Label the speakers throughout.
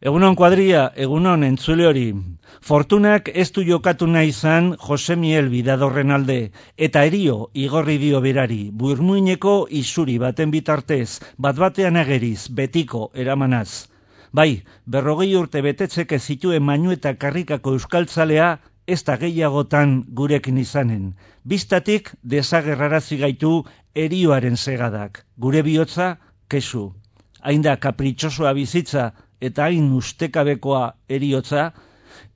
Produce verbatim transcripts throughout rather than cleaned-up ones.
Speaker 1: Egunon kuadria, egunon entzule hori. Fortunak ez du jokatu nahi izan Jose Miel Bidadorren alde, eta erio igorri dio berari, burmuineko isuri baten bitartez, bat-batean ageriz, betiko eramanaz. Bai, berrogei urte betetzeke zituen Mainu eta Karrikako euskaltzalea, ez da gehiagotan gurekin izanen. Biztatik desagerrarazi gaitu erioaren segadak, gure bihotza kesu. Hain da kapritxosoa bizitza eta hain ustekabekoa eriotza,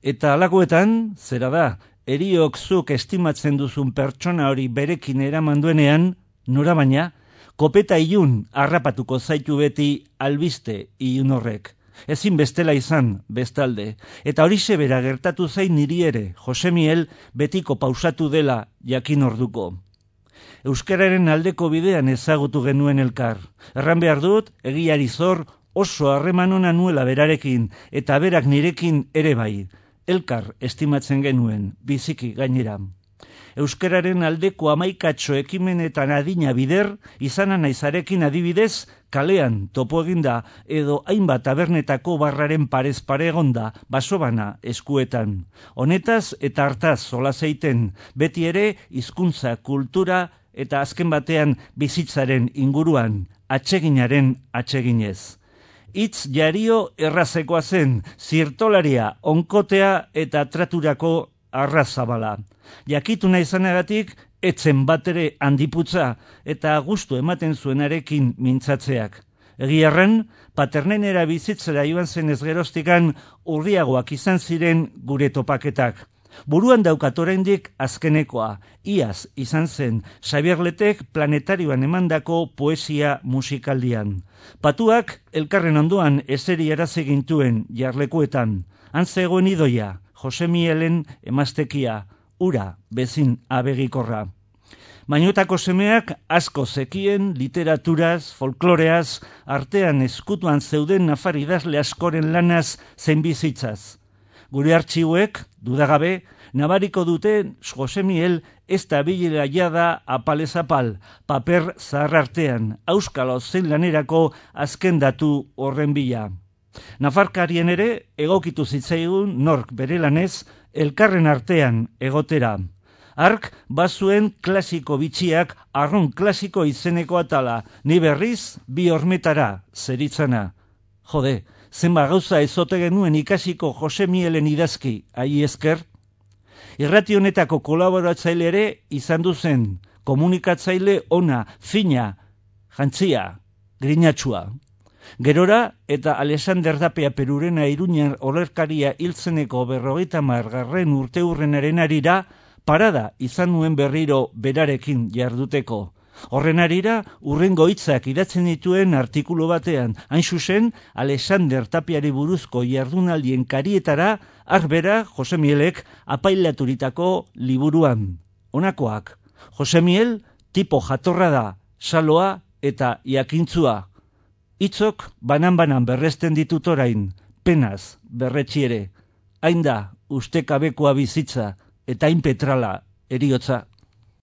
Speaker 1: eta alakoetan, zera da, eriok zuk estimatzen duzun pertsona hori berekin eraman duenean, nora baina, kopeta ilun harrapatuko zaitu beti albiste ilun horrek. Ezin bestela izan, bestalde, eta horixe bera gertatu zain niri ere, Jose Miel betiko pausatu dela jakin orduko. Euskararen aldeko bidean ezagutu genuen elkar. Erran behar dut, egiari zor, oso harreman ona nuela berarekin, eta berak nirekin ere bai. Elkar estimatzen genuen, biziki gainera. Euskararen aldeko hamaikatxo ekimenetan adina bider, izana naizarekin adibidez, kalean topo eginda edo hainbat tabernetako barraren parez pare egonda, basobana eskuetan. Honetaz eta hartaz solaseiten, beti ere hizkuntza, kultura eta azken batean bizitzaren inguruan, atseginaren atseginez. Hitz jario errazekoa zen, zirtolaria, onkotea eta traturako arrazabala. Jakitu nahi zanagatik, etzen batere handiputza eta gustu ematen zuenarekin mintzatzeak. Egiarren, paternenera bizitzera joan zen ez geroztikan urriagoak izan ziren gure topaketak. Buruan daukat oraindik azkenekoa, iaz izan zen Xabier Letek planetarioan emandako poesia musikaldian. Patuak elkarren ondoan eseri arazi gintuen jarlekuetan. Han zegoen idoia, Jose Mielen emaztekia, ura bezin abegikorra. Mainuetako semeak asko zekien literaturaz, folkloreaz, artean eskutuan zeuden nafar idazle askoren lanaz zein bizitzaz. Gure artxiuek, dudagabe, nabariko duten Jose Miel ez da bilera jada apalez apal, paper zahar artean, auskalo zein lanerako azken datu horren bila. Nafarkarien ere egokitu zitzaigun nork bere lanez elkarren artean egotera. Ark bazuen klasiko bitxiak arron klasiko izeneko atala, ni berriz bi hormetara zeritzana. Jode, zenba gauza ezote genuen ikasiko Jose Mielen idazki, ai esker? Irrati honetako kolaboratzaile ere izan duzen, komunikatzaile ona, fina, jantzia, grinatxua. Gerora eta Alexander Dapea Perurena Iruñan olerkaria hiltzeneko berrogeita margarren urte hurrenaren arira, parada izan nuen berriro berarekin jarduteko. Horren arira, urrengo hitzak idatzen dituen artikulu batean, hain zuzen, Alexander Tapiari buruzko jardunaldien karietara, arbera Jose Mielek apailaturitako liburuan. Honakoak, Jose Miel tipo jatorra da, saloa eta jakintzua. Hitzok banan-banan berresten ditut orain, penaz berretxiere. Hain da, ustekabekoa bizitza eta hain petrala eriotza.